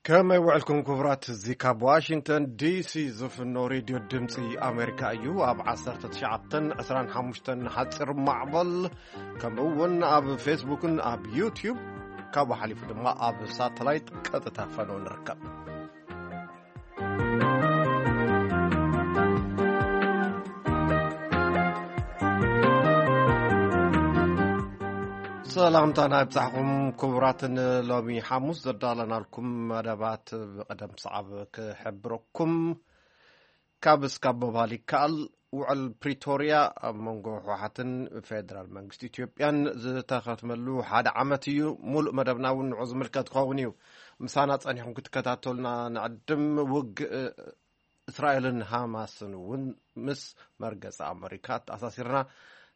ከመይ ውዕልኩም ክቡራት? እዚ ካብ ዋሽንግተን ዲሲ ዝፍኖ ሬድዮ ድምፂ ኣሜሪካ እዩ። ኣብ ዓሰርተ ትሽዓተን ዕስራን ሓሙሽተን ሓፂር ማዕበል፣ ከምኡ እውን ኣብ ፌስቡክን ኣብ ዩቲዩብ፣ ካብኡ ሓሊፉ ድማ ኣብ ሳተላይት ቀጥታ ፈነው ንርከብ። ሰላምታና ይብጻሕኩም ክቡራትን፣ ሎሚ ሓሙስ ዘዳለናልኩም መደባት ብቕደም ሰዓብ ክሕብረኩም። ካብ እስካብ ምባል ይከኣል፣ ውዕል ፕሪቶርያ ኣብ መንጎ ህወሓትን ፌደራል መንግስቲ ኢትዮጵያን ዝተኸትመሉ ሓደ ዓመት እዩ። ሙሉእ መደብና እውን ንዑ ዝምልከት ክኸውን እዩ። ምሳና ጸኒሕኩም ክትከታተሉና ንዕድም። ውግእ እስራኤልን ሃማስን እውን ምስ መርገጺ ኣመሪካ ተኣሳሲርና፣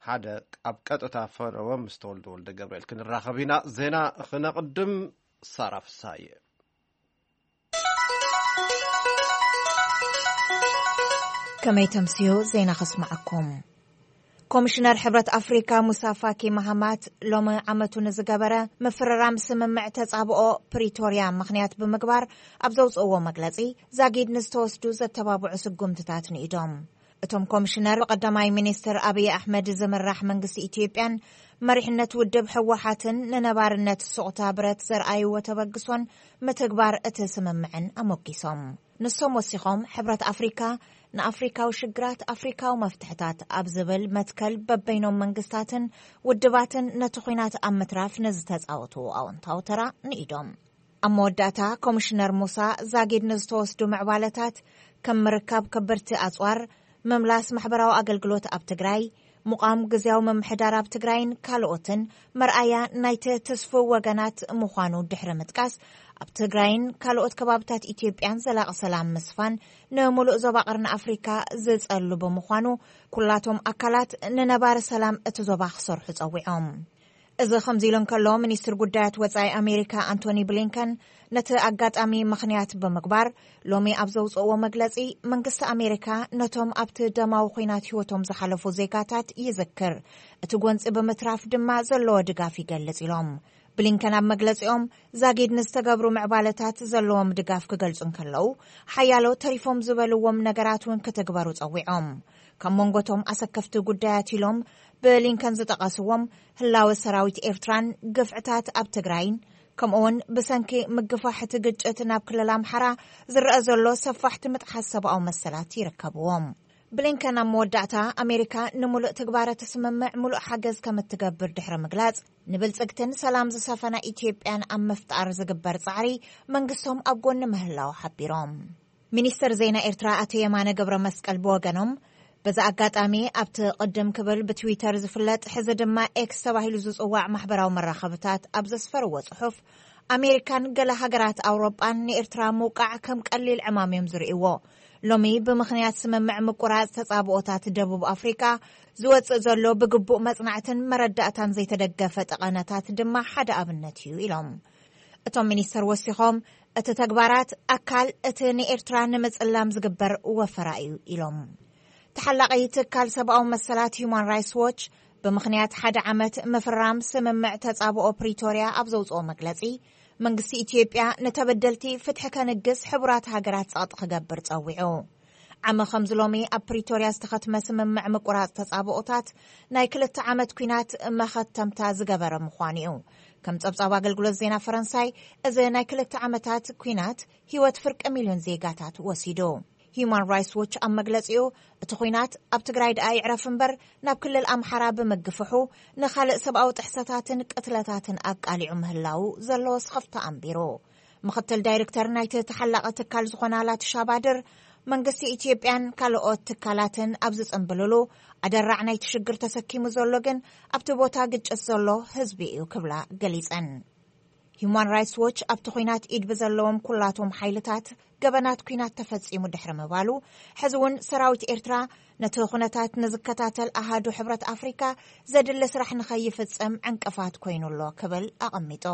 ሓደ ኣብ ቀጥታ ፈነወ ምስ ተወልደ ወልደ ገብርኤል ክንራኸብ ኢና። ዜና ክነቕድም። ሳራ ፍሳየ። ከመይ ተምስዮ ዜና ከስምዓኩም። ኮሚሽነር ሕብረት ኣፍሪካ ሙሳ ፋኪ ማሃማት ሎሚ ዓመቱ ንዝገበረ ምፍርራም ስምምዕ ተጻብኦ ፕሪቶርያ ምኽንያት ብምግባር ኣብ ዘውፅእዎ መግለፂ፣ ዛጊድ ንዝተወስዱ ዘተባብዑ ስጉምትታት ንኢዶም። እቶም ኮሚሽነር ብቀዳማይ ሚኒስትር ኣብይ ኣሕመድ ዝምራሕ መንግስቲ ኢትዮጵያን መሪሕነት ውድብ ህወሓትን ንነባርነት ሱቕታ ብረት ዘርኣይዎ ተበግሶን ምትግባር እቲ ስምምዕን ኣሞጊሶም። ንሶም ወሲኾም፣ ሕብረት ኣፍሪካ ንኣፍሪካዊ ሽግራት ኣፍሪካዊ መፍትሕታት ኣብ ዝብል መትከል በበይኖም መንግስታትን ውድባትን ነቲ ኹናት ኣብ ምትራፍ ንዝተፃወትዎ ኣወንታዊ ተራ ንኢዶም። ኣብ መወዳእታ ኮሚሽነር ሙሳ ዛጊድ ንዝተወስዱ ምዕባለታት ከም ምርካብ ከበድቲ ኣፅዋር፣ ምምላስ ማሕበራዊ ኣገልግሎት ኣብ ትግራይ፣ ምቋም ግዝያዊ ምምሕዳር ኣብ ትግራይን ካልኦትን መርኣያ ናይቲ ትስፉው ወገናት ምዃኑ ድሕሪ ምጥቃስ፣ ኣብ ትግራይን ካልኦት ከባብታት ኢትዮጵያን ዘላቒ ሰላም ምስፋን ንምሉእ ዞባ ቀርኒ ኣፍሪካ ዝጸሉ ብምዃኑ፣ ኩላቶም ኣካላት ንነባሪ ሰላም እቲ ዞባ ክሰርሑ ጸዊዖም። እዚ ከምዚ ኢሉ እንከሎ፣ ሚኒስትር ጉዳያት ወጻኢ ኣሜሪካ ኣንቶኒ ብሊንከን ነቲ ኣጋጣሚ ምኽንያት ብምግባር፣ ሎሚ ኣብ ዘውፅእዎ መግለፂ፣ መንግስቲ ኣሜሪካ ነቶም ኣብቲ ደማዊ ኹናት ህይወቶም ዝሓለፉ ዜጋታት ይዝክር፣ እቲ ጎንፂ ብምትራፍ ድማ ዘለዎ ድጋፍ ይገልጽ ኢሎም። ብሊንከን ኣብ መግለፂኦም፣ ዛጊድ ንዝተገብሩ ምዕባለታት ዘለዎም ድጋፍ ክገልጹ እንከለዉ፣ ሓያሎ ተሪፎም ዝበልዎም ነገራት እውን ክትግበሩ ጸዊዖም። ካብ መንጎቶም ኣሰከፍቲ ጉዳያት ኢሎም ብሊንከን ዝጠቐስዎም፣ ህላወ ሰራዊት ኤርትራን ግፍዕታት ኣብ ትግራይን፣ ከምኡውን ብሰንኪ ምግፋሕ እቲ ግጭት ናብ ክልል ኣምሓራ ዝረአ ዘሎ ሰፋሕቲ ምጥሓስ ሰብኣዊ መሰላት ይርከብዎም። ብሊንከን ኣብ መወዳእታ፣ ኣሜሪካ ንምሉእ ትግባረ እቲ ስምምዕ ምሉእ ሓገዝ ከም እትገብር ድሕሪ ምግላጽ፣ ንብልጽግትን ሰላም ዝሰፈና ኢትዮጵያን ኣብ ምፍጣር ዝግበር ጻዕሪ መንግስቶም ኣብ ጎኒ ምህላው ሓቢሮም። ሚኒስትር ዜና ኤርትራ ኣቶ የማነ ገብረ መስቀል ብወገኖም፣ በዚ ኣጋጣሚ ኣብቲ ቅድም ክብል ብትዊተር ዝፍለጥ፣ ሕዚ ድማ ኤክስ ተባሂሉ ዝጽዋዕ ማሕበራዊ መራኸብታት ኣብ ዘስፈርዎ ጽሑፍ፣ ኣሜሪካን ገለ ሃገራት ኣውሮጳን ንኤርትራ ምውቃዕ ከም ቀሊል ዕማም እዮም ዝርእይዎ። ሎሚ ብምኽንያት ስምምዕ ምቁራጽ ተጻብኦታት ደቡብ ኣፍሪቃ ዝወጽእ ዘሎ ብግቡእ መጽናዕትን መረዳእታን ዘይተደገፈ ጠቐነታት ድማ ሓደ ኣብነት እዩ ኢሎም። እቶም ሚኒስተር ወሲኾም፣ እቲ ተግባራት ኣካል እቲ ንኤርትራ ንምጽላም ዝግበር ወፈራ እዩ ኢሎም። ተሓላቒ ትካል ሰብኣዊ መሰላት ሂዩማን ራይትስ ዎች፣ ብምኽንያት ሓደ ዓመት ምፍራም ስምምዕ ተጻብኦ ፕሪቶርያ ኣብ ዘውጽኦ መግለጺ፣ መንግስቲ ኢትዮጵያ ንተበደልቲ ፍትሒ ከንግስ ሕቡራት ሃገራት ጸቕጢ ክገብር ጸዊዑ። ዓመ ከምዚ ሎሚ ኣብ ፕሪቶርያ ዝተኸትመ ስምምዕ ምቁራጽ ተጻብኦታት፣ ናይ ክልተ ዓመት ኲናት መኸተምታ ዝገበረ ምዃኑ እዩ። ከም ጸብጻብ ኣገልግሎት ዜና ፈረንሳይ፣ እዚ ናይ ክልተ ዓመታት ኲናት ህይወት ፍርቂ ሚልዮን ዜጋታት ወሲዱ። ሂዩማን ራይትስ ዎች ኣብ መግለጺኡ፣ እቲ ኲናት ኣብ ትግራይ ደኣ ይዕረፍ እምበር፣ ናብ ክልል ኣምሓራ ብምግፍሑ፣ ንኻልእ ሰብኣዊ ጥሕሰታትን ቅትለታትን ኣቃሊዑ ምህላዉ ዘለዎ ስኽፍታ ኣንቢሩ። ምኽትል ዳይሬክተር ናይቲ ተሓላቒ ትካል ዝኾና ላቲሻ ባድር፣ መንግስቲ ኢትዮጵያን ካልኦት ትካላትን ኣብ ዝጽንብልሉ፣ ኣደራዕ ናይቲ ሽግር ተሰኪሙ ዘሎ ግን ኣብቲ ቦታ ግጭት ዘሎ ህዝቢ እዩ ክብላ ገሊጸን። ሂዩማን ራይትስ ዎች ኣብቲ ኲናት ኢድ ብዘለዎም ኩላቶም ሓይልታት ገበናት ኲናት ተፈጺሙ ድሕሪ ምባሉ፣ ሕዚ እውን ሰራዊት ኤርትራ ነቲ ኩነታት ንዝከታተል ኣሃዱ ሕብረት ኣፍሪካ ዘድሊ ስራሕ ንኸይፍጽም ዕንቅፋት ኮይኑ ኣሎ ክብል ኣቐሚጡ።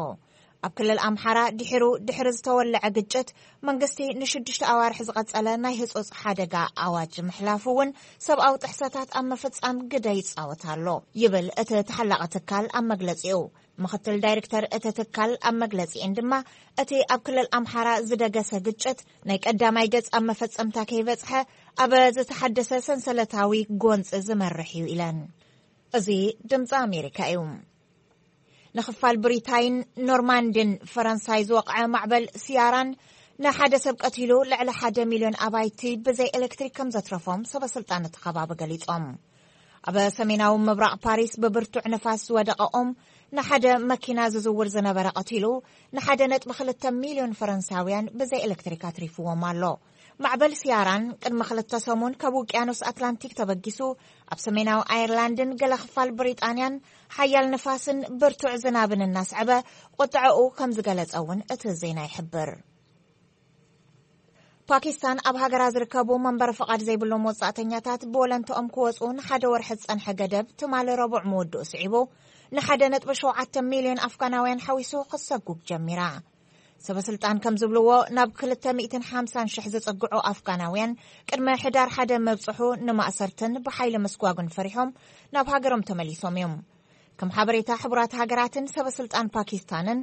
ኣብ ክልል ኣምሓራ ድሒሩ ድሕሪ ዝተወለዐ ግጭት፣ መንግስቲ ንሽዱሽተ ኣዋርሕ ዝቐጸለ ናይ ህጹጽ ሓደጋ ኣዋጅ ምሕላፉ እውን ሰብኣዊ ጥሕሰታት ኣብ ምፍጻም ግደ ይጻወት ኣሎ ይብል እቲ ተሓላቒ ትካል ኣብ መግለጺኡ። ምኽትል ዳይሬክተር እቲ ትካል ኣብ መግለጺኤን ድማ፣ እቲ ኣብ ክልል ኣምሓራ ዝደገሰ ግጭት ናይ ቀዳማይ ገጽ ኣብ መፈጸምታ ከይበጽሐ፣ ኣብ ዝተሓደሰ ሰንሰለታዊ ጎንጺ ዝመርሕ እዩ ኢለን። እዚ ድምጺ ኣሜሪካ እዩ። ንኽፋል ብሪታይን ኖርማንድን ፈረንሳይ ዝወቕዐ ማዕበል ሲያራን ንሓደ ሰብ ቀቲሉ፣ ልዕሊ ሓደ ሚልዮን ኣባይቲ ብዘይ ኤሌክትሪክ ከም ዘትረፎም ሰበ ስልጣን እቲ ከባቢ ገሊጾም። ኣብ ሰሜናዊ ምብራቕ ፓሪስ ብብርቱዕ ንፋስ ዝወደቐ ኦም ንሓደ መኪና ዝዝውር ዝነበረ ቀቲሉ፣ ንሓደ ነጥቢ ክልተ ሚልዮን ፈረንሳውያን ብዘይ ኤሌክትሪክ ኣትሪፍዎም ኣሎ። ማዕበል ሲያራን ቅድሚ ክልተ ሰሙን ካብ ውቅያኖስ ኣትላንቲክ ተበጊሱ፣ ኣብ ሰሜናዊ ኣየርላንድን ገለ ክፋል ብሪጣንያን ሓያል ንፋስን ብርቱዕ ዝናብን እናስዐበ ቁጥዐኡ ከም ዝገለጸ እውን እቲ ዜና ይሕብር። ፓኪስታን ኣብ ሃገራ ዝርከቡ መንበሪ ፍቓድ ዘይብሎም ወጻእተኛታት ብወለንትኦም ክወጹ ንሓደ ወርሒ ዝጸንሐ ገደብ ትማሊ ረቡዕ ምውድኡ ስዒቡ፣ ንሓደ ነጥቢ ሸውዓተ ሚልዮን ኣፍጋናውያን ሓዊሱ ክሰጉግ ጀሚራ። ሰበ ስልጣን ከም ዝብልዎ፣ ናብ ክልተ ሚእትን ሓምሳን ሽሕ ዝጽግዑ ኣፍጋናውያን ቅድመ ሕዳር ሓደ መብጽሑ ንማእሰርትን ብሓይሊ ምስጓጉን ፈሪሖም ናብ ሃገሮም ተመሊሶም እዮም። ከም ሓበሬታ ሕቡራት ሃገራትን ሰበ ስልጣን ፓኪስታንን፣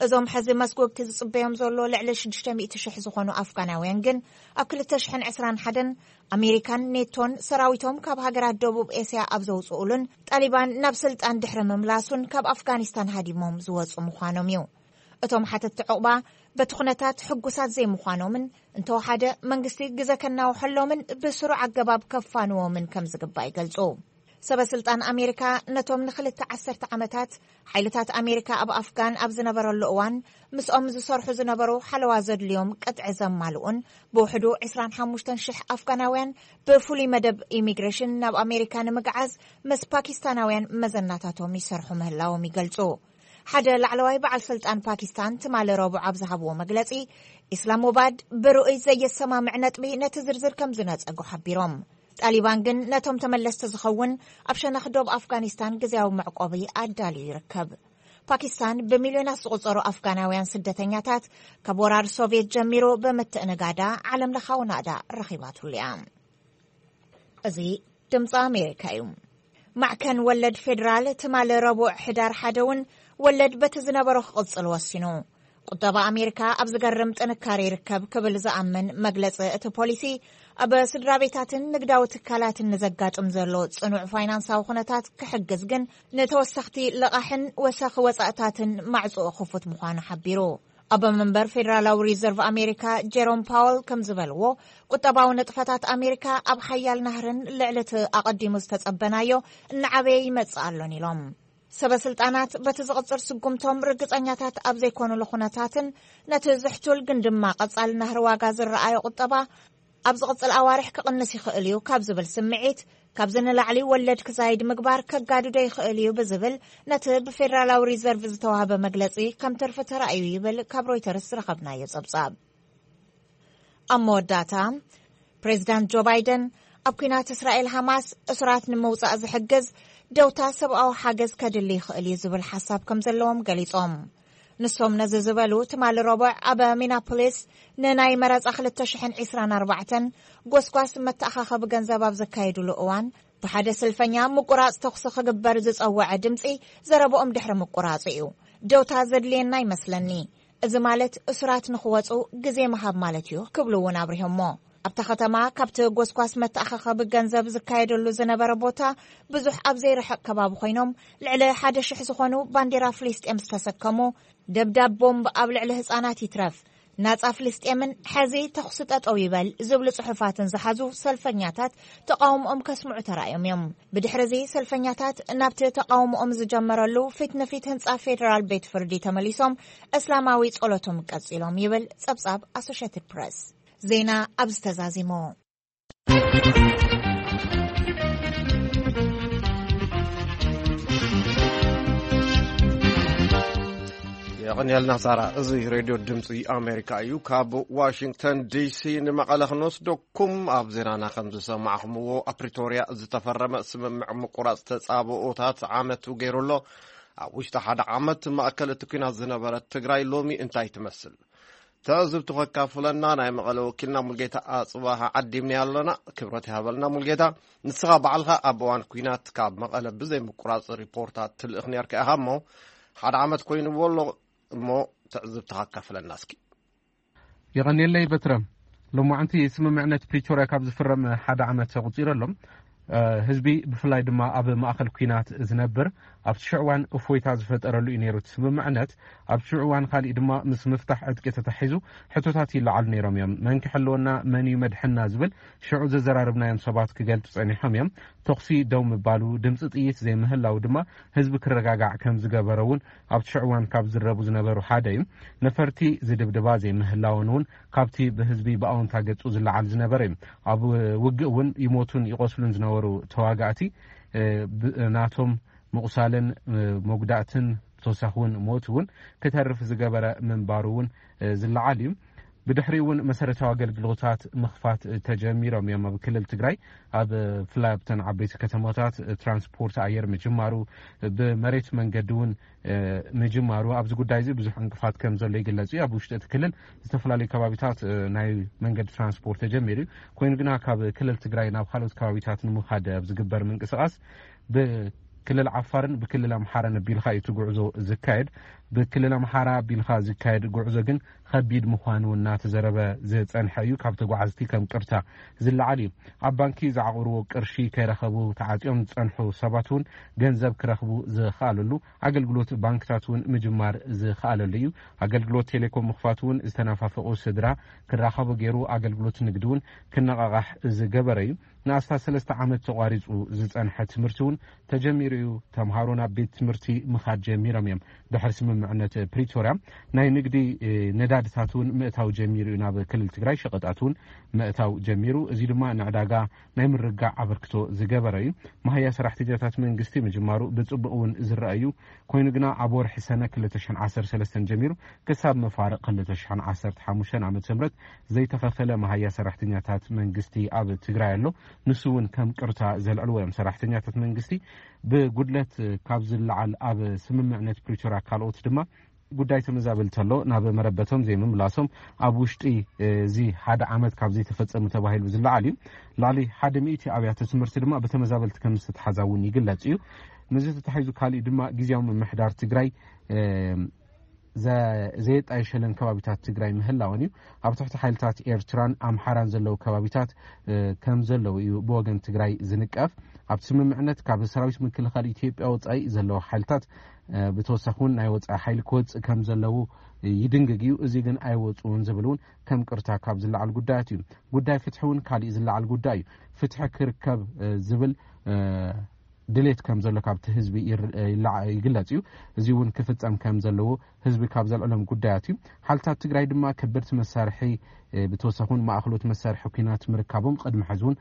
እዞም ሕዚ መስጎግቲ ዝጽበዮም ዘሎ ልዕሊ ሽዱሽተ ሚእቲ ሽሕ ዝኾኑ ኣፍጋናውያን ግን፣ ኣብ ክልተ ሽሕን ዕስራን ሓደን ኣሜሪካን ኔቶን ሰራዊቶም ካብ ሃገራት ደቡብ ኤስያ ኣብ ዘውጽኡሉን ጣሊባን ናብ ስልጣን ድሕሪ ምምላሱን ካብ ኣፍጋኒስታን ሃዲሞም ዝወጹ ምዃኖም እዩ። እቶም ሓተትቲ ዕቑባ በቲ ኩነታት ሕጉሳት ዘይምዃኖምን እንተወሓደ መንግስቲ ግዘ ከናውሐሎምን ብስሩዕ ኣገባብ ከፋንዎምን ከም ዝግባእ ይገልጹ። ሰበ ስልጣን ኣሜሪካ ነቶም ንክልተ ዓሰርተ ዓመታት ሓይልታት ኣሜሪካ ኣብ ኣፍጋን ኣብ ዝነበረሉ እዋን ምስኦም ዝሰርሑ ዝነበሩ ሓለዋ ዘድልዮም ቅጥዒ ዘማልኡን ብውሕዱ ዕስራን ሓሙሽተን ሽሕ ኣፍጋናውያን ብፍሉይ መደብ ኢሚግሬሽን ናብ ኣሜሪካ ንምግዓዝ ምስ ፓኪስታናውያን መዘናታቶም ይሰርሑ ምህላዎም ይገልጹ። ሓደ ላዕለዋይ በዓል ስልጣን ፓኪስታን ትማሊ ረቡዕ ኣብ ዝሃብዎ መግለጺ፣ ኢስላማባድ ብርኡይ ዘየሰማምዕ ነጥቢ ነቲ ዝርዝር ከም ዝነጸጎ ሓቢሮም። ጣሊባን ግን ነቶም ተመለስቲ ዝኸውን ኣብ ሸነኽ ዶብ ኣፍጋኒስታን ግዝያዊ መዕቆቢ ኣዳልዩ ይርከብ። ፓኪስታን ብሚልዮናት ዝቑጸሩ ኣፍጋናውያን ስደተኛታት ካብ ወራር ሶቭየት ጀሚሩ ብምትእንጋዳ ዓለም ለኻዊ ናእዳ ረኺባትሉ እያ። እዚ ድምፂ ኣሜሪካ እዩ። ማዕከን ወለድ ፌዴራል ትማሊ ረቡዕ ሕዳር ሓደ እውን ወለድ በቲ ዝነበሮ ክቕፅል ወሲኑ። ቁጠባ ኣሜሪካ ኣብ ዝገርም ጥንካሬ ይርከብ ክብል ዝኣምን መግለፂ እቲ ፖሊሲ፣ ኣብ ስድራ ቤታትን ንግዳዊ ትካላትን ንዘጋጥም ዘሎ ፅኑዕ ፋይናንሳዊ ኩነታት ክሕግዝ ግን ንተወሰኽቲ ልቓሕን ወሰኺ ወፃእታትን ማዕፅኡ ክፉት ምዃኑ ሓቢሩ። ኣቦ መንበር ፌደራላዊ ሪዘርቭ ኣሜሪካ ጀሮም ፓወል ከም ዝበልዎ፣ ቁጠባዊ ንጥፈታት ኣሜሪካ ኣብ ሓያል ናህርን ልዕሊ እቲ ኣቐዲሙ ዝተጸበናዮ እናዓበየ ይመጽእ ኣሎን ኢሎም። ሰበ ስልጣናት በቲ ዝቕጽል ስጉምቶም ርግጸኛታት ኣብ ዘይኮኑሉ ኩነታትን ነቲ ዝሕቱል ግን ድማ ቀጻሊ ናህሪ ዋጋ ዝረኣዮ ቁጠባ ኣብ ዝቕጽል ኣዋርሕ ክቕንስ ይኽእል እዩ ካብ ዝብል ስምዒት፣ ካብዚ ንላዕሊ ወለድ ክዛይድ ምግባር ከጋድዶ ይኽእል እዩ ብዝብል ነቲ ብፌደራላዊ ሪዘርቭ ዝተዋህበ መግለጺ ከም ትርፊ ተራእዩ ይብል ካብ ሮይተርስ ዝረኸብናዮ ጸብጻብ። ኣብ መወዳእታ፣ ፕሬዚዳንት ጆ ባይደን ኣብ ኲናት እስራኤል ሃማስ እሱራት ንምውጻእ ዝሕግዝ ደውታ ሰብኣዊ ሓገዝ ከድሊ ይኽእል እዩ ዝብል ሓሳብ ከም ዘለዎም ገሊጾም። ንሶም ነዚ ዝበሉ ትማሊ ረቡዕ ኣብ ሚናፖሊስ ንናይ መረጻ ክልተ ሽሕን ዕስራን ኣርባዕተን ጎስጓስ መተኣኻኸቢ ገንዘብ ኣብ ዘካየዱሉ እዋን፣ ብሓደ ስልፈኛ ምቁራጽ ተኹሲ ክግበር ዝጸወዐ ድምጺ ዘረብኦም ድሕሪ ምቁራጹ እዩ። ደውታ ዘድልየና ይመስለኒ። እዚ ማለት እሱራት ንኽወጹ ግዜ ምሃብ ማለት እዩ ክብሉ እውን ኣብሪሆሞ። ኣብታ ከተማ ካብቲ ጎስጓስ መተኣኻኸቢ ገንዘብ ዝካየደሉ ዝነበረ ቦታ ብዙሕ ኣብ ዘይርሕቕ ከባቢ ኮይኖም፣ ልዕሊ ሓደ ሽሕ ዝኾኑ ባንዴራ ፍልስጤም ዝተሰከሙ፣ ደብዳብ ቦምብ ኣብ ልዕሊ ህጻናት ይትረፍ፣ ናጻ ፍልስጤምን ሕዚ ተኹሲ ጠጠው ይበል ዝብሉ ጽሑፋትን ዝሓዙ ሰልፈኛታት ተቃውሞኦም ከስምዑ ተራእዮም እዮም። ብድሕሪ እዚ ሰልፈኛታት ናብቲ ተቃውሞኦም ዝጀመረሉ ፊት ንፊት ህንጻ ፌደራል ቤት ፍርዲ ተመሊሶም እስላማዊ ጸሎቶም ቀጺሎም ይብል ጸብጻብ ኣሶሼትድ ፕረስ። ዜና ኣብዚ ተዛዚሙ። የቐንየልና ሳራ። እዚ ሬድዮ ድምፂ ኣሜሪካ እዩ። ካብ ዋሽንግተን ዲሲ ንመቐለ ክንወስደኩም፣ ኣብ ዜናና ከም ዝሰማዕኹምዎ ኣብ ፕሪቶርያ ዝተፈረመ ስምምዕ ምቁራፅ ተፃብኦታት ዓመቱ ገይሩ ኣሎ። ኣብ ውሽጢ ሓደ ዓመት ማእከል እቲ ኲናት ዝነበረት ትግራይ ሎሚ እንታይ ትመስል? ትዕዝብቱ ከካፍለና ናይ መቐለ ወኪልና ሙልጌታ ኣፅባሃ ዓዲምና ኣለና። ክብረት ይሃበልና ሙልጌታ። ንስኻ ባዕልኻ ኣብ እዋን ኲናት ካብ መቐለ ብዘይ ምቁራፅ ሪፖርታት ትልእኽ ነርካ ኢኻ እሞ፣ ሓደ ዓመት ኮይንዎ ኣሎ እሞ ትዕዝብትኻ ኣካፍለና እስኪ። የቐንየለይ በትረ። ሎማዓንቲ ስምምዕነት ፕሪቶርያ ካብ ዝፍረም ሓደ ዓመት ተቑጺሩ ኣሎ። ህዝቢ ብፍላይ ድማ ኣብ ማእኸል ኲናት ዝነብር ኣብቲ ሽዑ እዋን እፎይታ ዝፈጠረሉ እዩ ነይሩ እቲ ስምምዕነት። ኣብቲ ሽዑ እዋን ካሊእ ድማ ምስ ምፍታሕ ዕጥቂ ተታሒዙ ሕቶታት ይለዓሉ ነይሮም እዮም። መን ክሕልወና፣ መን እዩ መድሕና ዝብል ሽዑ ዘዘራርብናዮም ሰባት ክገልጹ ጸኒሖም እዮም። ተኹሲ ደው ምባሉ፣ ድምጺ ጥይት ዘይምህላው ድማ ህዝቢ ክረጋጋዕ ከም ዝገበረ እውን ኣብቲ ሽዑ እዋን ካብ ዝረቡ ዝነበሩ ሓደ እዩ። ነፈርቲ ዝድብድባ ዘይምህላወን እውን ካብቲ ብህዝቢ ብኣወንታ ገጹ ዝለዓል ዝነበረ እዩ። ኣብ ውግእ እውን ይሞቱን ይቆስሉን ዝነበሩ ተዋጋእቲ ናቶም ምቑሳልን መጉዳእትን ብተወሳኺ እውን ሞት እውን ክተርፍ ዝገበረ ምንባሩ እውን ዝለዓል እዩ። ብድሕሪ እውን መሰረታዊ ኣገልግሎታት ምኽፋት ተጀሚሮም እዮም። ኣብ ክልል ትግራይ ኣብ ፍላይ ኣብተን ዓበይቲ ከተማታት ትራንስፖርት ኣየር ምጅማሩ፣ ብመሬት መንገዲ እውን ምጅማሩ ኣብዚ ጉዳይ እዚ ብዙሕ ዕንቅፋት ከም ዘሎ ይግለጽ እዩ። ኣብ ውሽጢ እቲ ክልል ዝተፈላለዩ ከባቢታት ናይ መንገዲ ትራንስፖርት ተጀሚሩ እዩ። ኮይኑ ግና ካብ ክልል ትግራይ ናብ ካልኦት ከባቢታት ንምኻድ ኣብ ዝግበር ምንቅስቓስ ብክልል ዓፋርን ብክልል ኣምሓራን ኣቢልካ እዩ እቲ ጉዕዞ ዝካየድ። ብክልል ኣምሓራ ኣቢልካ ዝካየድ ጉዕዞ ግን ከቢድ ምዃኑ እናተዘረበ ዝጸንሐ እዩ። ካብ ተጓዓዝቲ ከም ቅርታ ዝለዓል እዩ። ኣብ ባንኪ ዝዓቑርዎ ቅርሺ ከይረኸቡ ተዓጽዮም ዝጸንሑ ሰባት እውን ገንዘብ ክረኽቡ ዝኸኣለሉ ኣገልግሎት ባንክታት እውን ምጅማር ዝኸኣለሉ እዩ። ኣገልግሎት ቴሌኮም ምኽፋት እውን ዝተናፋፈቑ ስድራ ክራኸቡ ገይሩ ኣገልግሎት ንግዲ እውን ክነቓቓሕ ዝገበረ እዩ። ንኣስታት ሰለስተ ዓመት ተቋሪጹ ዝጸንሐ ትምህርቲ እውን ተጀሚሩ እዩ። ተምሃሮ ናብ ቤት ትምህርቲ ምኻድ ጀሚሮም እዮም። ድሕሪ ስምምዕነት ፕሪቶርያ ናይ ንግዲ ነዳድታት እውን ምእታው ጀሚሩ እዩ። ናብ ክልል ትግራይ ሸቐጣት እውን ምእታው ጀሚሩ። እዚ ድማ ንዕዳጋ ናይ ምርጋዕ ኣበርክቶ ዝገበረ እዩ። መሃያ ሰራሕተኛታት መንግስቲ ምጅማሩ ብጽቡቕ እውን ዝረአ እዩ። ኮይኑ ግና ኣብ ወርሒ ሰነ ክልተ ሽሕን ዓሰርተ ሰለስተን ጀሚሩ ክሳብ መፋርቕ ክልተ ሽሕን ዓሰርተ ሓሙሽተን ዓመተ ምህረት ዘይተኸፈለ መሃያ ሰራሕተኛታት መንግስቲ ኣብ ትግራይ ኣሎ። ንሱ እውን ከም ቅርታ ዘልዕልዎ እዮም። ሰራሕተኛታት መንግስቲ ብጉድለት ካብ ዝለዓል ኣብ ስምምዕነት ፕሪቶርያ ካልኦት ድማ ጉዳይ ተመዛበልቲ ኣሎ ናብ መረበቶም ዘይምምላሶም ኣብ ውሽጢ እዚ ሓደ ዓመት ካብ ዘይተፈጸሙ ተባሂሉ ዝለዓል እዩ። ልዕሊ ሓደ ሚእቲ ኣብያተ ትምህርቲ ድማ ብተመዛበልቲ ከም ዝተተሓዛ እውን ይግለጽ እዩ። ምስዚ ተታሒዙ ካሊእ ድማ ግዜያዊ ምምሕዳር ትግራይ ዘየጣየሸለን ከባቢታት ትግራይ ምህላወን እዩ። ኣብ ትሕቲ ሓይልታት ኤርትራን ኣምሓራን ዘለዉ ከባቢታት ከም ዘለዉ እዩ ብወገን ትግራይ ዝንቀፍ። ኣብቲ ስምምዕነት ካብ ሰራዊት ምክልኻል ኢትዮጵያ ወፃኢ ዘለዉ ሓይልታት ብተወሳኺ እውን ናይ ወፃኢ ሓይሊ ክወፅእ ከም ዘለዉ ይድንግግ እዩ። እዚ ግን ኣይወፁን ዝብል እውን ከም ቅርታ ካብ ዝለዓል ጉዳያት እዩ። ጉዳይ ፍትሒ እውን ካሊእ ዝለዓል ጉዳይ እዩ። ፍትሒ ክርከብ ዝብል ድሌት ከም ዘሎ ካብቲ ህዝቢ ይግለጽ እዩ። እዚ እውን ክፍጸም ከም ዘለዎ ህዝቢ ካብ ዘልዕሎም ጉዳያት እዩ። ሓልታት ትግራይ ድማ ከበድቲ መሳርሒ ብተወሳኺ እውን ማእኸሎት መሳርሒ ኩናት ምርካቦም ቅድሚ ሕዚ እውን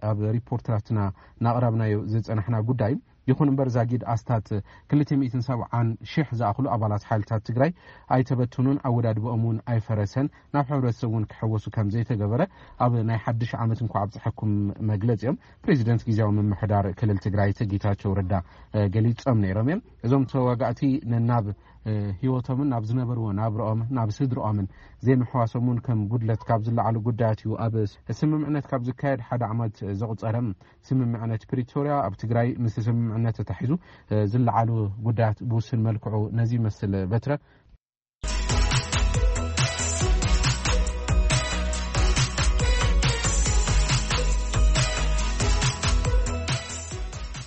ኣብ ሪፖርተራትና እናቕረብናዮ ዝፀናሕና ጉዳይ እዩ። ይኹን እምበር ዛጊድ ኣስታት ክልተ ሚእትን ሰብዓን ሽሕ ዝኣኽሉ ኣባላት ሓይልታት ትግራይ ኣይተበትኑን፣ ኣወዳድበኦም እውን ኣይፈረሰን፣ ናብ ሕብረተሰብ እውን ክሕወሱ ከም ዘይተገበረ ኣብ ናይ ሓድሽ ዓመት እንኳ ኣብፀሐኩም መግለፂኦም ፕሬዚደንት ግዜያዊ ምምሕዳር ክልል ትግራይ ጌታቸው ረዳ ገሊፆም ነይሮም እዮም። እዞም ተዋጋእቲ ነናብ ህይወቶምን ናብ ዝነበርዎ ናብርኦም ናብ ስድርኦምን ዘይምሕዋሶም እውን ከም ጉድለት ካብ ዝለዓሉ ጉዳያት እዩ። ኣብ ስምምዕነት ካብ ዝካየድ ሓደ ዓመት ዘቑፀረ ስምምዕነት ፕሪቶርያ ኣብ ትግራይ ምስ ስምምዕነት ተታሒዙ ዝለዓሉ ጉዳያት ብውስን መልክዑ ነዚ ይመስል። በትረ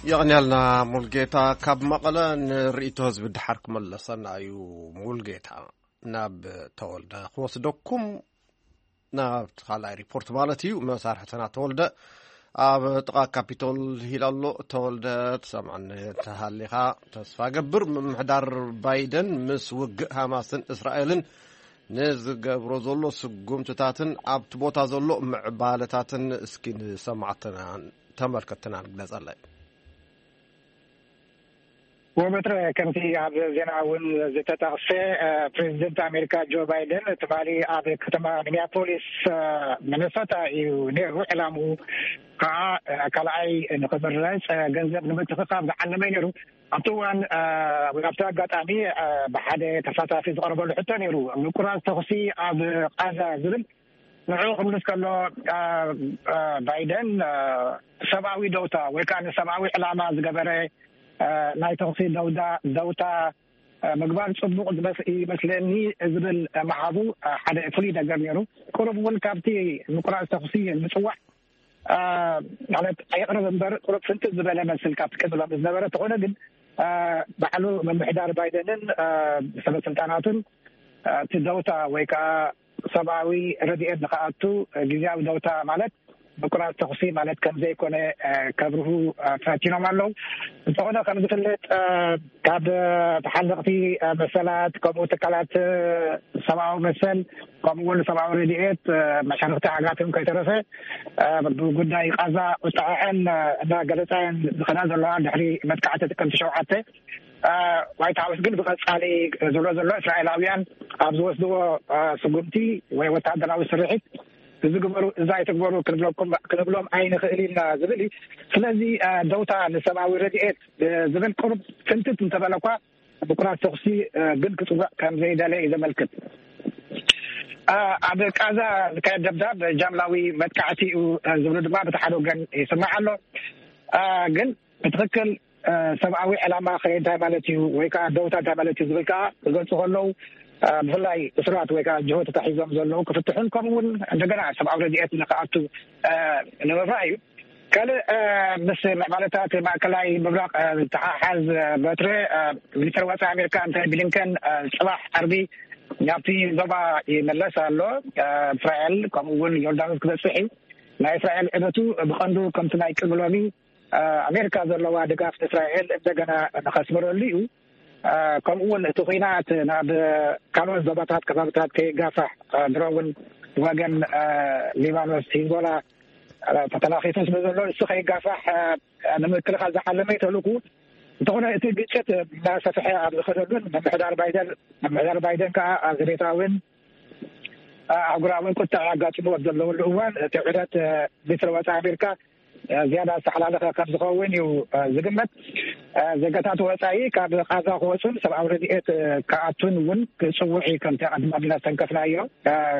የቕንያልና ሙልጌታ ካብ መቐለ ንርእይቶ ህዝቢ ድሓር ክመለሰና እዩ። ሙልጌታ ናብ ተወልደ ክወስደኩም ናብ ካልኣይ ሪፖርት ማለት እዩ። መሳርሕትና ተወልደ ኣብ ጥቓ ካፒቶል ሂል ኣሎ። ተወልደ ትሰምዓኒ ተሃሊኻ ተስፋ ገብር። ምምሕዳር ባይደን ምስ ውግእ ሃማስን እስራኤልን ንዝገብሮ ዘሎ ስጉምትታትን ኣብቲ ቦታ ዘሎ ምዕባለታትን እስኪ ንሰማዕትና ተመልከትና ንግለጸለይ። ወበትረ ከምቲ ኣብ ዜና እውን ዝተጠቕሰ ፕሬዚደንት ኣሜሪካ ጆ ባይደን ትማሊ ኣብ ከተማ ሚኒያፖሊስ ሚነሶታ እዩ ነይሩ። ዕላምኡ ከዓ ካልኣይ ንክምረፅ ገንዘብ ንምትኽኻብ ዝዓለመ ነይሩ። ኣብቲ እዋን ወይ ኣብቲ ኣጋጣሚ ብሓደ ተሳታፊ ዝቐረበሉ ሕቶ ነይሩ። ምቁራፅ ተኹሲ ኣብ ቃዛ ዝብል ንዕኡ ክምልስ ከሎ ባይደን ሰብኣዊ ደውታ ወይ ከዓ ንሰብኣዊ ዕላማ ዝገበረ ናይ ተኽሲ ደውዳ ደውታ ምግባር ጽቡቕ ዝመስ ይመስለኒ ዝብል መሓዙ ሓደ ፍሉይ ነገር ነይሩ። ቅሩብ እውን ካብቲ ምቁራጽ ተኽሲ ምጽዋዕ ማለት ኣየቕርብ እምበር ቅሩብ ፍንትት ዝበለ መስል ካብቲ ቀድሎም ዝነበረ ተኾነ ግን ባዕሉ ምምሕዳር ባይደንን ሰበ ስልጣናቱን እቲ ደውታ ወይ ከዓ ሰብኣዊ ረድኤት ንክኣቱ ግዜያዊ ደውታ ማለት ምቁራጽ ተኽሲ ማለት ከም ዘይኮነ ከብርሁ ፈቲኖም ኣለዉ። እንተኾነ ከም ዝፍለጥ ካብ ተሓለቕቲ መሰላት ከምኡ ትካላት ሰብኣዊ መሰል ከምኡ እውን ሰብኣዊ ረድኤት መሻርክቲ ሃገራትን ከይተረፈ ብጉዳይ ቃዛ ቁጣዐን እና ገለፃን ዝኸዳ ዘለዋ ድሕሪ መጥቃዕቲ ጥቅምቲ ሸውዓተ ዋይት ሃውስ ግን ብቐጻሊ ዝብሎ ዘሎ እስራኤላውያን ኣብ ዝወስድዎ ስጉምቲ ወይ ወታደራዊ ስርሒት እዚ ግበሩ እዛ ኣይትግበሩ ክንብሎም ኣይንኽእል ኢና ዝብል እዩ። ስለዚ ደውታ ንሰብኣዊ ረድኤት ዝብል ቅሩብ ፍንትት እንተበለ እኳ ምቁራጽ ተኹሲ ግን ክጽውዕ ከም ዘይደለ እዩ ዘመልክት። ኣብ ቃዛ ዝካየድ ደብዳብ ጃምላዊ መጥቃዕቲ እዩ ዝብሉ ድማ ብቲ ሓደ ወገን ይስማዕ ኣሎ። ግን ብትኽክል ሰብኣዊ ዕላማ ከ እንታይ ማለት እዩ ወይ ከዓ ደውታ እንታይ ማለት እዩ ዝብል ከዓ ክገልፁ ከለዉ ብፍላይ እሱራት ወይ ከዓ ጅሆ ተታሒዞም ዘለዉ ክፍትሑን ከምኡ እውን እንደገና ሰብኣዊ ረድኤት ንክኣቱ ንምብራህ እዩ። ካልእ ምስ ምዕባለታት ማእከላይ ምብራቕ ዝተሓሓዝ በትረ ሚኒስትር ወፃኢ ኣሜሪካ ኣንቶኒ ብሊንከን ፅባሕ ዓርቢ ናብቲ ዞባ ይመለስ ኣሎ። እስራኤል ከምኡ እውን ዮርዳኖስ ክበፅሕ እዩ። ናይ እስራኤል ዕደቱ ብቐንዱ ከምቲ ናይ ቅድሚ ሎሚ ኣሜሪካ ዘለዋ ድጋፍ ንእስራኤል እንደገና ንኸስምረሉ እዩ። ከምኡ እውን እቲ ኩናት ናብ ካልኦት ዞባታት ከባብታት ከይጋፋሕ ድሮ እውን ወገን ሊባኖስ ሂዝቦላ ተተናኺቱ ስለ ዘሎ እሱ ከይጋፋሕ ንምክልኻል ዝዓለመ ተልእኩ እንተኾነ እቲ ግጭት እናሰፍሐ ኣብ ዝኸደሉን ምምሕዳር ባይደን ምምሕዳር ባይደን ከዓ ኣብ ዘቤታውን ኣህጉራውን ቁጥዕ ኣጋጢሞ ኣብ ዘለውሉ እዋን እቲ ዑደት ሚኒስትር ወፃኢ ኣሜሪካ ዝያዳ ዝተሓላለኸ ከም ዝኸውን እዩ ዝግመት። ዜጋታት ወፃኢ ካብ ቃዛ ክወፁን ሰብኣዊ ረድኤት ክኣቱን እውን ክፅውዕ እዩ። ከምቲ ኣቐድም ኣቢልና ዝተንከፍናዮ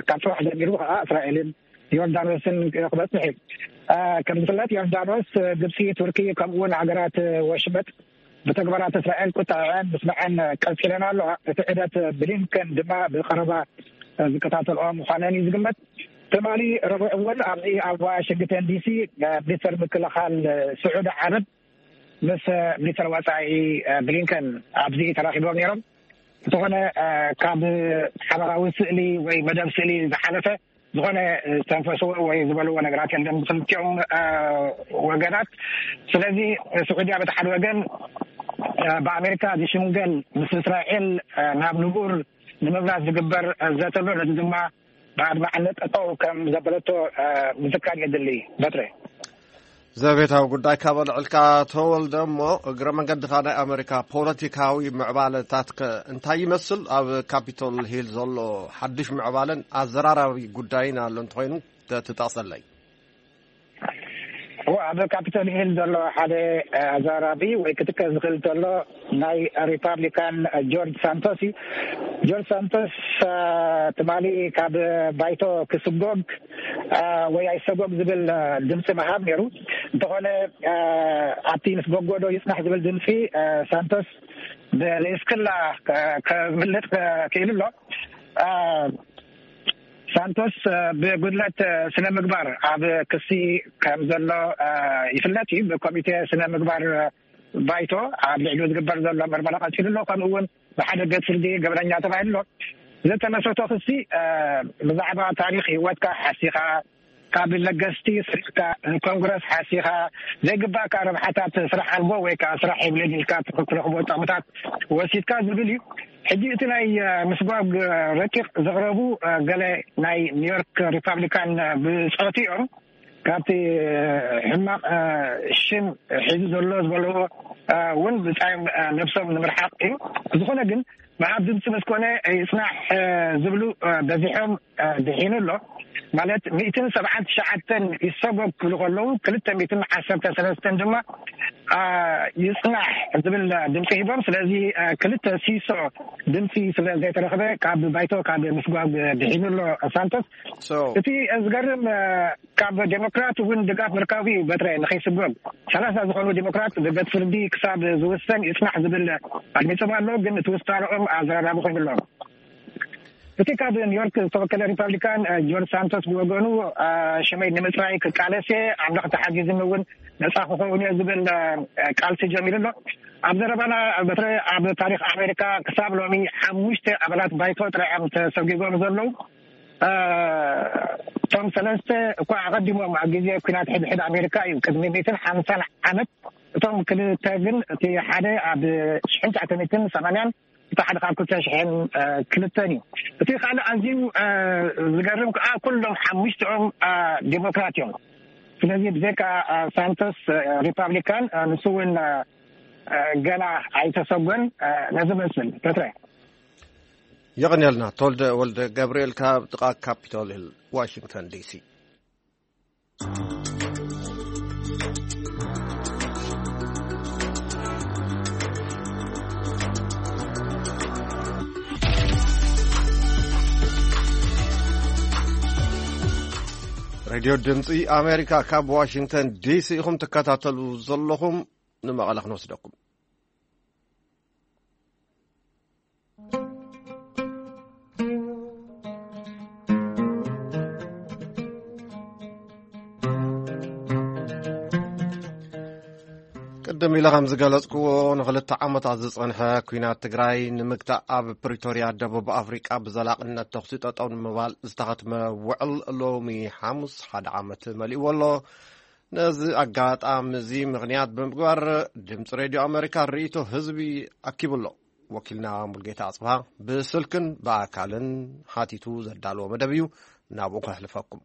ካብ ፅባሕ ጀሚሩ ከዓ እስራኤልን ዮርዳኖስን ክበፅሕ እዩ። ከም ዝፍለጥ ዮርዳኖስ፣ ግብፂ፣ ቱርኪ ከምኡውን ሃገራት ወሽመጥ ብተግባራት እስራኤል ቁጣዐን ምስማዐን ቀፂለን ኣለዋ። እቲ ዑደት ብሊንከን ድማ ብቀረባ ዝከታተልኦ ምዃነን እዩ ዝግመት። ትማሊ ረቡዕ እውን ኣብዚ ኣብ ዋሽንግተን ዲሲ ሚኒስተር ምክልኻል ስዑዲ ዓረብ ምስ ሚኒስተር ወፃኢ ብሊንከን ኣብዚ ተራኺቦም ነይሮም። እንተኾነ ካብ ሓበራዊ ስእሊ ወይ መደብ ስእሊ ዝሓለፈ ዝኾነ ዝተንፈስዎ ወይ ዝበልዎ ነገራት የለን ብክልቲኦም ወገናት። ስለዚ ስዑድያ በቲ ሓደ ወገን ብኣሜሪካ ዝሽምገል ምስ እስራኤል ናብ ንቡር ንምብራስ ዝግበር ዘተሎ ነዚ ድማ ብኣድማዕነት ጠጠው ከም ዘበለቶ ምዝካር የድሊ። በትረ ዘቤታዊ ጉዳይ ካብ ኣልዕልካ ተወልደ እሞ እግረ መንገድኻ ናይ ኣሜሪካ ፖለቲካዊ ምዕባለታት ከ እንታይ ይመስል? ኣብ ካፒቶል ሂል ዘሎ ሓድሽ ምዕባለን ኣዘራራቢ ጉዳይን ኣሎ እንተኮይኑ ትጠቅሰለይ። ኣብ ካፒቶል ሂል ዘሎ ሓደ ኣዘራራቢ ወይ ክትከ ዝኽእል ዘሎ ናይ ሪፓብሊካን ጆርጅ ሳንቶስ እዩ። ጆርጅ ሳንቶስ ትማሊ ካብ ባይቶ ክስጎግ ወይ ኣይሰጎግ ዝብል ድምፂ ምሃብ ነይሩ። እንተኾነ ኣብቲ ምስ ጎጎዶ ይፅናሕ ዝብል ድምፂ ሳንቶስ ብለይስክላ ክብልጥ ክኢሉ ኣሎ። ሳንቶስ ብጉድለት ስነ ምግባር ኣብ ክሲ ከም ዘሎ ይፍለጥ እዩ። ብኮሚቴ ስነ ምግባር ባይቶ ኣብ ልዕሊኡ ዝግበር ዘሎ ምርመራ ቀፂሉ ኣሎ። ከምኡ እውን ብሓደ ቤት ፍርዲ ገበነኛ ተባሂሉ ኣሎ። ዝተመስረቶ ክሲ ብዛዕባ ታሪክ ህይወትካ ሓሲኻ ካብ ለገስቲ ስርሕካ ንኮንግረስ ሓሲኻ ዘይግባእካ ረብሓታት ስራሕ ኣልቦ ወይ ከዓ ስራሕ የብለይን ኢልካ ትረኽቦ ጥቕምታት ወሲድካ ዝብል እዩ። ሕጂ እቲ ናይ ምስጓግ ረቂቕ ዘቕረቡ ገለ ናይ ኒውዮርክ ሪፓብሊካን ብፆት እዮም። ካብቲ ሕማቕ ሽም ሒዙ ዘሎ ዝበልዎ እውን ብፃዮም ነብሶም ንምርሓቕ እዩ። ዝኾነ ግን ምሃብ ድምፂ ምስ ኮነ ይፅናሕ ዝብሉ በዚሖም ድሒኑ ኣሎ። ማለት ሚእትን ሰብዓን ትሽዓተን ይሰጎግ ክብሉ ከለዉ፣ ክልተ ሚእትን ዓሰርተ ሰለስተን ድማ ይፅናሕ ዝብል ድምፂ ሂቦም። ስለዚ ክልተ ሲሶ ድምፂ ስለ ዘይተረኽበ ካብ ባይቶ ካብ ምስጓግ ድሒኑ ኣሎ ሳንቶስ። እቲ ዝገርም ካብ ዴሞክራት እውን ድጋፍ ምርካቡ እዩ። በትረ ንኸይስጎግ ሰላሳ ዝኾኑ ዴሞክራት ብቤት ፍርዲ ክሳብ ዝውሰን ይፅናሕ ዝብል ኣድሚፆም ኣሎ። ግን እቲ ውሳንኦም ኣዘራራቢ ኮይኑ ኣሎ። እቲ ካብ ኒውዮርክ ዝተወከለ ሪፓብሊካን ጆርጅ ሳንቶስ ብወገኑ፣ ሽመይ ንምፅራይ ክቃለስ እየ፣ ኣምላኽ ተሓጊዝኒ እውን ነፃ ክኸውን እየ ዝብል ቃልሲ ጀሚሩ ኣሎ። ኣብ ዘረባና በትረ ኣብ ታሪኽ ኣሜሪካ ክሳብ ሎሚ ሓሙሽተ ኣባላት ባይቶ ጥራይ እዮም ተሰጒጎም ዘለዉ። እቶም ሰለስተ እኳ ኣቐዲሞም ኣብ ግዜ ኲናት ሕድሕድ ኣሜሪካ እዩ፣ ቅድሚ ሚእትን ሓምሳን ዓመት። እቶም ክልተ ግን፣ እቲ ሓደ ኣብ ሽሕን ትሽዓተ ሚእትን ሰማንያን፣ እቲ ሓደ ካብ ክልተ ሽሕን ክልተን እዩ። እቲ ካልእ ኣዝዩ ዝገርም ከዓ ኩሎም ሓሙሽትኦም ዴሞክራት እዮም። ስለዚ ብዘይካ ሳንቶስ ሪፓብሊካን፣ ንሱ እውን ገና ኣይተሰጎን። ነዚ መስል በትረ። የቐንየልና። ተወልደ ወልደ ገብርኤል ካብ ጥቓ ካፒቶል ሂል ዋሽንግተን ዲሲ። ሬድዮ ድምፂ ኣሜሪካ ካብ ዋሽንግተን ዲሲ ኢኹም ትከታተሉ ዘለኹም። ንመቐለ ክንወስደኩም። ቅድም ኢለ ከም ዝገለጽክዎ፣ ንኽልተ ዓመታት ዝጸንሐ ኲናት ትግራይ ንምግታእ ኣብ ፕሪቶርያ ደቡብ ኣፍሪቃ ብዘላቕነት ተኹሲ ጠጠው ንምባል ዝተኸትመ ውዕል ሎሚ ሓሙስ ሓደ ዓመት መሊእዎ ኣሎ። ነዚ ኣጋጣሚ እዚ ምኽንያት ብምግባር ድምፂ ሬድዮ ኣሜሪካ ርእይቶ ህዝቢ ኣኪቡ ኣሎ። ወኪልና ሙልጌታ ኣጽብሃ ብስልክን ብኣካልን ሓቲቱ ዘዳለዎ መደብ እዩ። ናብኡ ከሕልፈኩም።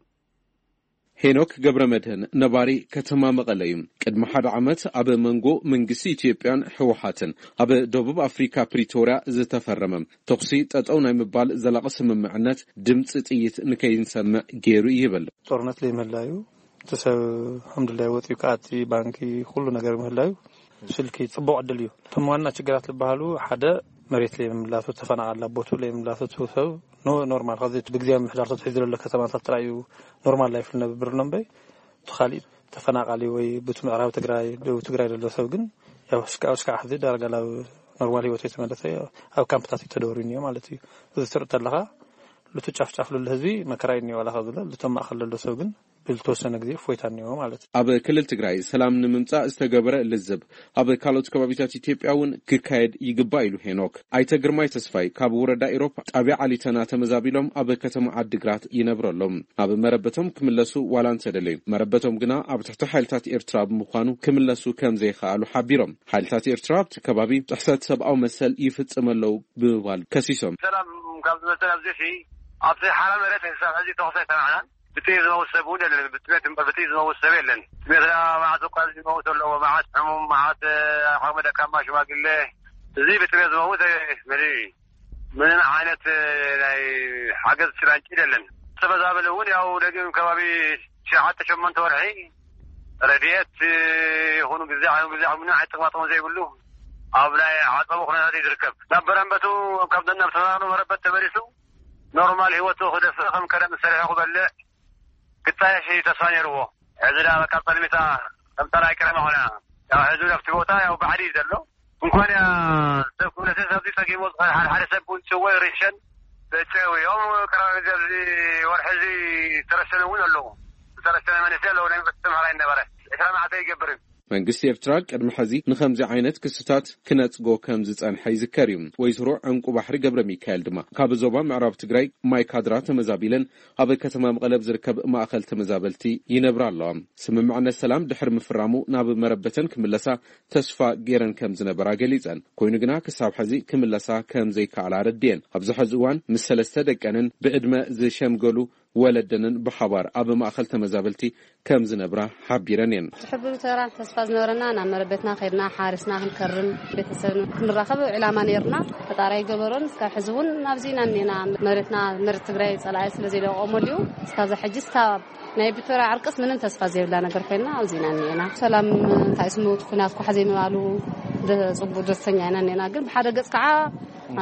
ሄኖክ ገብረ መድህን ነባሪ ከተማ መቐለ እዩ። ቅድሚ ሓደ ዓመት ኣብ መንጎ መንግስቲ ኢትዮጵያን ህወሓትን ኣብ ደቡብ ኣፍሪካ ፕሪቶርያ ዝተፈረመ ተኹሲ ጠጠው ናይ ምባል ዘላቒ ስምምዕነት ድምፂ ጥይት ንከይንሰምዕ ገይሩ ይብል። ጦርነት ለይምህላዩ፣ እቲ ሰብ ከምድላይ ወፂኡ ክኣቲ፣ ባንኪ፣ ኩሉ ነገር ምህላዩ ስልኪ ፅቡቕ ዕድል እዩ። እቶም ዋና ችግራት ዝበሃሉ ሓደ መሬት ለይምምላሱ፣ ተፈናቓሊ ቦቱ ለይምላሱ፣ እቲ ሰብ ኖ-፣ ኖርማል ከዚ ብግዜ ምምሕዳር ተትሒዙ ዘሎ ከተማታት ጥራይ እዩ ኖርማል ላይፍ ልነብር ኣሎ እምበይ፣ እቲ ካሊእ ተፈናቓሊ ወይ ብቲ ምዕራብ ትግራይ፣ ደቡብ ትግራይ ዘሎ ሰብ ግን ያው እስካ-፣ እስካዕ ሕዚ ዳርጋ ናብ ኖርማል ህይወት የተመለሰ ኣብ ካምፕታት እዩ ተደወሩ እኒኦ ማለት እዩ። እዚ ትርኢ ተለኻ ልቱ ጫፍ ጫፍ ልሉ ህዝቢ መከራ እዩ እኒኦ፣ ዋላ ካብ ዝሎ ልቶም ማእኸል ዘሎ ሰብ ግን ብዝተወሰነ ግዜ እፎይታ እኒኦ ማለት እዩ። ኣብ ክልል ትግራይ ሰላም ንምምጻእ ዝተገበረ ልዝብ ኣብ ካልኦት ከባቢታት ኢትዮጵያ እውን ክካየድ ይግባእ ኢሉ ሄኖክ። ኣይተ ግርማይ ተስፋይ ካብ ወረዳ ኢሮብ ጣብያ ዓሊተና ተመዛቢሎም ኣብ ከተማ ዓዲግራት ይነብሩ ኣለዉ። ናብ መረበቶም ክምለሱ ዋላ እንተደለዩ፣ መረበቶም ግና ኣብ ትሕቲ ሓይልታት ኤርትራ ብምዃኑ ክምለሱ ከም ዘይከኣሉ ሓቢሮም። ሓይልታት ኤርትራ ኣብቲ ከባቢ ጥሕሰት ሰብኣዊ መሰል ይፍጽም ኣለዉ ብምባል ከሲሶም። ሰላም ካብ ዝመጸ ኣብዚ ሲ ኣብቲ ሓራ መሬት ክሳብ ሕዚ ተኹሲ ኣይሰማዕናን። ብጥይት ዝመውት ሰብ እውን የለን። ብጥሜት እምበር ብጥይት ዝመውት ሰብ የለን። ጥሜትና መዓት እኳ ዝመውት ኣለዎ። መዓት ሕሙም፣ መዓት ዓቕመ ደካማ፣ ሽማግለ፣ እዚ ብጥሜት ዝመውት መሊኡ እዩ። ምንም ዓይነት ናይ ሓገዝ ጭላንጭል የለን። ተመዛበሊ እውን ያው ደጊም ከባቢ ሸዓተ ሸሞንተ ወርሒ ረድኤት ይኹኑ ግዜ ይኹኑ ግዜ ምንም ዓይነት ጥቕማ ጥቕሚ ዘይብሉ ኣብ ናይ ዓጸቦ ኩነታት እዩ ዝርከብ። ናብ በረንበቱ ካብ ናብ ተፈናቕሉ መረበት ተመሊሱ ኖርማል ህይወቱ ክደፍእ ከም ቀደም ዝሰርሐ ክበልዕ ክጣየሽ እዩ ተስፋ ነይርዎ። ሕዚ ደኣ በቃ ጸልሚታ ከም ጸላኢ ቀደም ኾነ። ያው ሕዚ ኣብቲ ቦታ ያው ባዕዲ እዩ ዘሎ። እንኳን እያ ሰብ ክብለሰ ሰብዚ ጸጊሙ ዝኽእል ሓደ ሓደ ሰብ እውን ጽወ ርሸን ዘጨው እዮም። ቅረባ ግዜ ኣብዚ ወርሒ እዚ ዝተረሸነ እውን ኣለዉ። ዝተረሸነ መንእሰይ ኣለዉ። ናይ ዩኒቨርሲቲ ተምሃራይ ነበረ። ዕስራ መዓልቲ ኣይገብርን። መንግስቲ ኤርትራ ቅድሚ ሕዚ ንኸምዚ ዓይነት ክስታት ክነጽጎ ከም ዝጸንሐ ይዝከር እዩ። ወይዘሮ ዕንቁ ባሕሪ ገብረ ሚካኤል ድማ ካብ ዞባ ምዕራብ ትግራይ ማይ ካድራ ተመዛቢለን ኣብ ከተማ መቐለ ኣብ ዝርከብ ማእኸል ተመዛበልቲ ይነብራ ኣለዋ። ስምምዕነት ሰላም ድሕሪ ምፍራሙ ናብ መረበተን ክምለሳ ተስፋ ገይረን ከም ዝነበራ ገሊጸን። ኮይኑ ግና ክሳብ ሕዚ ክምለሳ ከም ዘይከኣላ ኣረድየን። ኣብዚ ሕዚ እዋን ምስ ሰለስተ ደቀንን ብዕድመ ዝሸምገሉ ወለደንን ብሓባር ኣብ ማእኸል ተመዛበልቲ ከም ዝነብራ ሓቢረን እየን። ዝሕብሩ ተራ ተስፋ ዝነበረና ናብ መረበትና ከይድና ሓሪስና ክንከርም ቤተሰብ ክንራኸብ ዕላማ ነይርና። ፈጣሪ ኣይገበሮን። እስካብ ሕዚ እውን ኣብዚ ኢና እኒና። መሬትና መሬት ትግራይ ጸላኢ ስለ ዘይለቆሞ ድዩ እስካብ ሕጂ እስካብ ናይ ፕሪቶርያ ዕርቅስ ምንም ተስፋ ዘይብላ ነገር ኮይና ኣብዚ ኢና እኒና። ሰላም እንታይ ስሙ እቲ ኩናት ኳሕ ዘይምባሉ ደ- ጽቡቅ ደስተኛ ኢና እኒና። ግን ብሓደ ገጽ ከዓ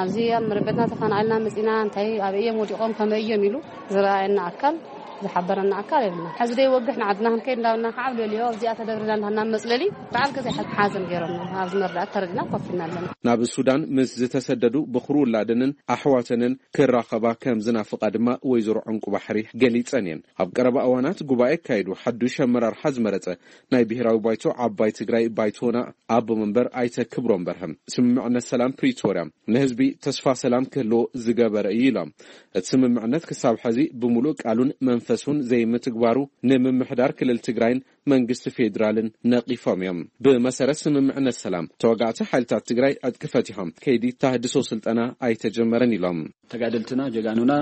ኣብዚ ኣብ መረበትና ተፈናቒልና መጺና እንታይ ኣብ እዮም ወዲቖም ከመይ እዮም ኢሉ ዝረኣየና ኣካል ዝሓበረና ኣካል የብልና። ሕዚ ደይ ወግሕ ንዓድና ክንከይድ እንዳብልና ከዓ ኣብ ልዕሊኦ ኣብዚኣ ተደብርና እንዳሃና መጽለሊ በዓል ገዛ ሓዘን ገይሮም ኣብዚ መርዳእት ተረዲና ኮፍ ኢና ኣለና። ናብ ሱዳን ምስ ዝተሰደዱ ብኽሩ ውላደንን ኣሕዋተንን ክራኸባ ከም ዝናፍቓ ድማ ወይዘሮ ዕንቁ ባሕሪ ገሊጸን እየን። ኣብ ቀረባ እዋናት ጉባኤ ኣካይዱ ሓዱሽ ኣመራርሓ ዝመረጸ ናይ ብሔራዊ ባይቶ ዓባይ ትግራይ ባይቶና ኣቦ መንበር ኣይተ ክብሮም በርሀም ስምምዕነት ሰላም ፕሪቶርያ ንህዝቢ ተስፋ ሰላም ክህልዎ ዝገበረ እዩ ኢሎም። እቲ ስምምዕነት ክሳብ ሕዚ ብምሉእ ቃሉን መንፈሱን ዘይምትግባሩ ንምምሕዳር ክልል ትግራይን መንግስቲ ፌዴራልን ነቒፎም እዮም። ብመሰረት ስምምዕነት ሰላም ተወጋእቲ ሓይልታት ትግራይ ዕጥቂ ፈቲሖም ከይዲ ተሃድሶ ስልጠና ኣይተጀመረን ኢሎም። ተጋደልትና ጀጋኑና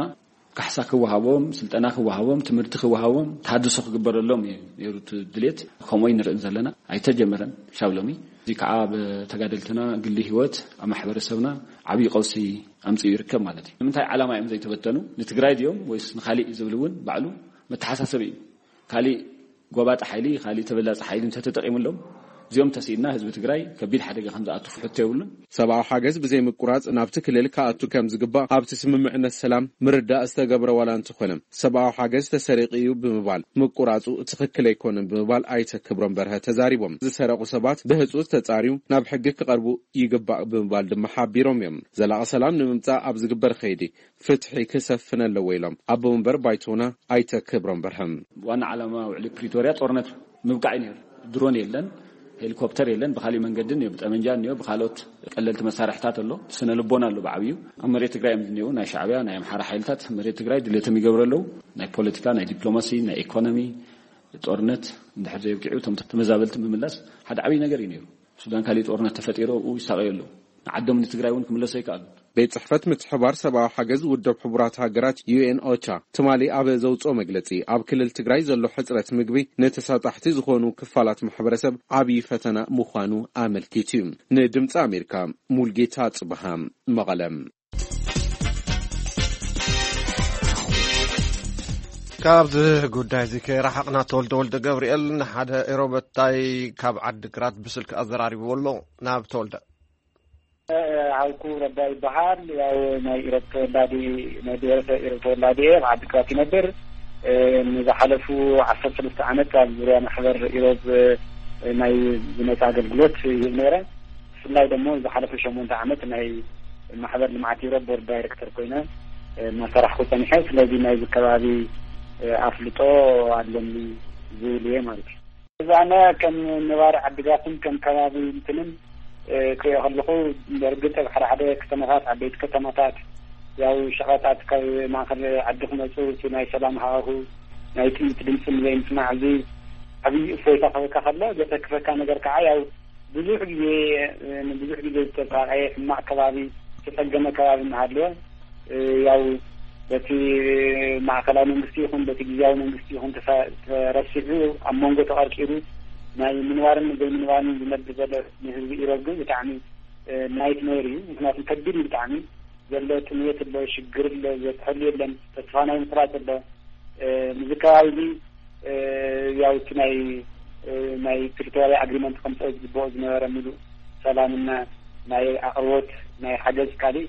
ካሕሳ ክወሃቦም፣ ስልጠና ክወሃቦም፣ ትምህርቲ ክወሃቦም፣ ተሃድሶ ክግበረሎም እዩ ነይሩ እቲ ድሌት። ከምኡ ንርእን ዘለና ኣይተጀመረን። ሻብ ሎሚ እዚ ከዓ ብተጋደልትና ግሊ ህይወት ኣብ ማሕበረሰብና ዓብዪ ቀውሲ ኣምፅኡ ይርከብ ማለት እዩ። ንምንታይ ዓላማ እዮም ዘይተበተኑ? ንትግራይ ድዮም ወይስ ንካሊእ ዝብል እውን ባዕሉ መተሓሳሰቢ እዩ። ካሊእ ጎባጣ ሓይሊ፣ ካሊእ ተበላፂ ሓይሊ እንተተጠቂሙሎም እዚኦም ተስኢና ህዝቢ ትግራይ ከቢድ ሓደጋ ከም ዝኣቱ ፍሕቶ የብሉን። ሰብኣዊ ሓገዝ ብዘይምቁራፅ ናብቲ ክልል ክኣቱ ከም ዝግባእ ኣብቲ ስምምዕነት ሰላም ምርዳእ ዝተገብረ ዋላ እንተኾነ ሰብኣዊ ሓገዝ ተሰሪቂ እዩ ብምባል ምቁራፁ ትኽክል ኣይኮነን ብምባል ኣይተ ክብሮም በርሀ ተዛሪቦም። ዝሰረቁ ሰባት ብህፁፅ ተፃርዩ ናብ ሕጊ ክቐርቡ ይግባእ ብምባል ድማ ሓቢሮም እዮም። ዘላቂ ሰላም ንምምፃእ ኣብ ዝግበር ከይዲ ፍትሒ ክሰፍን ኣለዎ ኢሎም ኣቦ መንበር ባይቶና ኣይተ ክብሮም በርሀም። ዋና ዓላማ ውዕሊ ፕሪቶርያ ጦርነት ምብቃዕ እዩ ነይሩ። ድሮን የለን፣ ሄሊኮፕተር የለን፣ ብካሊእ መንገድን እዮ፣ ብጠመንጃን እዮ፣ ብካልኦት ቀለልቲ መሳርሕታት ኣሎ። ስነ ልቦና ኣሎ ብዓብዩ። ኣብ መሬት ትግራይ እዮም ዝኒአው ናይ ሻዕብያ ናይ ኣምሓራ ሓይልታት መሬት ትግራይ ድሌቶም ይገብሩ ኣለዉ። ናይ ፖለቲካ፣ ናይ ዲፕሎማሲ፣ ናይ ኢኮኖሚ ጦርነት እንድሕር ዘይብቂዑ እቶም ተመዛበልቲ ምምላስ ሓደ ዓብዪ ነገር እዩ ነይሩ። ሱዳን ካሊእ ጦርነት ተፈጢሩ ኣብኡ ይሳቀዩ ኣለዉ። ንዓዶም ንትግራይ እውን ክምለሱ ኣይከኣሉ። ቤት ጽሕፈት ምትሕባር ሰብኣዊ ሓገዝ ውድብ ሕቡራት ሃገራት ዩ ኤን ኦቻ ትማሊ ኣብ ዘውፅኦ መግለፂ ኣብ ክልል ትግራይ ዘሎ ሕፅረት ምግቢ ንተሳጣሕቲ ዝኾኑ ክፋላት ማሕበረሰብ ዓብዪ ፈተና ምዃኑ ኣመልኪቱ እዩ። ንድምፂ ኣሜሪካ ሙልጌታ ጽብሃ መቐለም። ካብዚ ጉዳይ እዚ ከይረሓቕና ተወልደ ወልደ ገብርኤል ንሓደ ኤሮበታይ ካብ ዓዲ ግራት ብስልክ ኣዘራሪብዎ ኣሎ። ናብ ተወልደ። ሃልኩ ረዳ ይበሃል። ያው ናይ ኢሮብ ተወላዲ ናይ ብሔረሰብ ኢሮብ ተወላዲ እየ። ኣብ ዓዲ ግራት ይነብር። ንዝሓለፉ ዓሰርተ ሰለስተ ዓመት ኣብ ዙርያ ማሕበር ኢሮብ ናይ ዝመፀ ኣገልግሎት ይህብ ነይረ። ብፍላይ ደሞ ዝሓለፈ ሸሞንተ ዓመት ናይ ማሕበር ልምዓት ኢሮብ ቦርድ ዳይሬክተር ኮይነ እናሰራሕኩ ፀኒሐ። ስለዚ ናይዚ ከባቢ ኣፍልጦ ኣለኒ ዝብል እየ ማለት እዩ። እዛ ኣነ ከም ነባሪ ዓድግራትን ከም ከባቢ እንትንን ክሪኦ ከለኹ፣ በርግጥ ኣብ ሓደ ሓደ ከተማታት፣ ዓበይቲ ከተማታት ያው ሸቐጣት ካብ ማእኸል ዓዲ ክመፁ እቲ ናይ ሰላም ሃዋሁ ናይ ጥይት ድምፂ ንዘይምስማዕ እዚ ዓብዪ እፎይታ ክህበካ ከሎ፣ ዘተክፈካ ነገር ከዓ ያው ብዙሕ ግዜ ንብዙሕ ግዜ ዝተሳቀየ ሕማቅ ከባቢ ዝተፀገመ ከባቢ እናሃለወ ያው በቲ ማእከላዊ መንግስቲ ይኹን በቲ ግዝያዊ መንግስቲ ይኹን ተረሲዑ ኣብ መንጎ ተቐርቂሩ ናይ ምንባርን ዘይምንባርን ዝነብር ዘሎ ንህዝቢ ኢሮብ ግን ብጣዕሚ ናይት ሜር እዩ። ምክንያቱም ከቢድ እዩ ብጣዕሚ ዘሎ ጥምየት ኣሎ፣ ሽግር ኣሎ፣ ዘትሐሉ የለን፣ ተስፋ ናይ ምቁራፅ ኣሎ። ንዚ ከባቢ እዚ ያው እቲ ናይ ናይ ፕሪቶርያ ኣግሪመንት ከምፀኦ ዝግበኦ ዝነበረ ምሉእ ሰላምና ናይ ኣቅርቦት ናይ ሓገዝ ካሊእ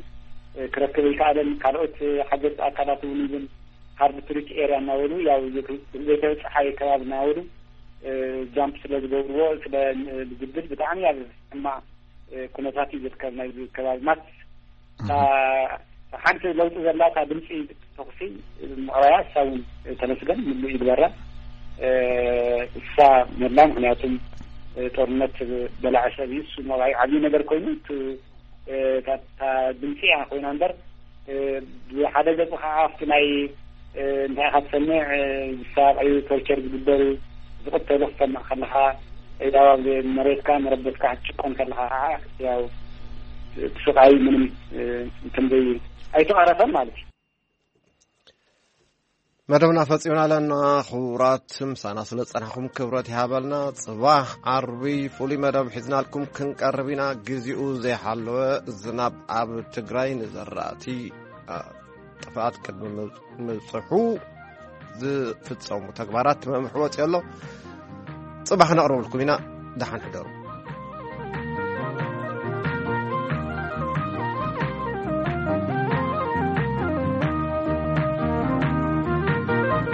ክረክብ ይከኣለን። ካልኦት ሓገዝ ኣካላት እውን ይብን ሃርድ ትሪት ኤርያ እናበሉ ያው ዘይተበፅሓየ ከባቢ እናበሉ ጃምፕ ስለ ዝገብርዎ ስለ ዝብል ብጣዕሚ ኣብ ሕማቅ ኩነታት እዩ ዝርከብ ናይ ከባቢ ማት ሓንቲ ለውጢ ዘላ እታ ድምፂ ተኹሲ ምቕራያ እሳ እውን ተመስገን ምሉ ይግበራ እሳ መላ ምክንያቱም ጦርነት በላዐ ሰብ እዩ እሱ መባይ ዓብዪ ነገር ኮይኑ እታ ድምፂ እያ ኮይና እምበር ብሓደ ገፁ ከዓ ኣብቲ ናይ እንታይ ኢኻ ትሰምዕ ዝሳቀዩ ቶርቸር ዝግበሩ ዝቅተሉ ክትሰምዕ ከለካ ያው ኣብ መሬትካ መረበትካ ክትጭቆን ከለካ ከዓ ያው እቲ ስቃይ ምንም እንትን ዘይ ኣይተቃረፈን ማለት እዩ። መደብና ፈጺምና ኣለና። ክቡራት፣ ምሳና ስለ ጸናሕኩም ክብረት ይሃበልና። ጽባሕ ዓርቢ ፍሉይ መደብ ሒዝናልኩም ክንቀርብ ኢና። ግዜኡ ዘይሓለወ ዝናብ ኣብ ትግራይ ንዘራእቲ፣ አ፣ ጥፍኣት ቅድሚ ምብ-፣ ምብጽሑ ዝፍጸሙ ተግባራት መምርሒ ወጺኡ ኣሎ። ጽባሕ ነቕርበልኩም ኢና። ደሓን ሕደሩ።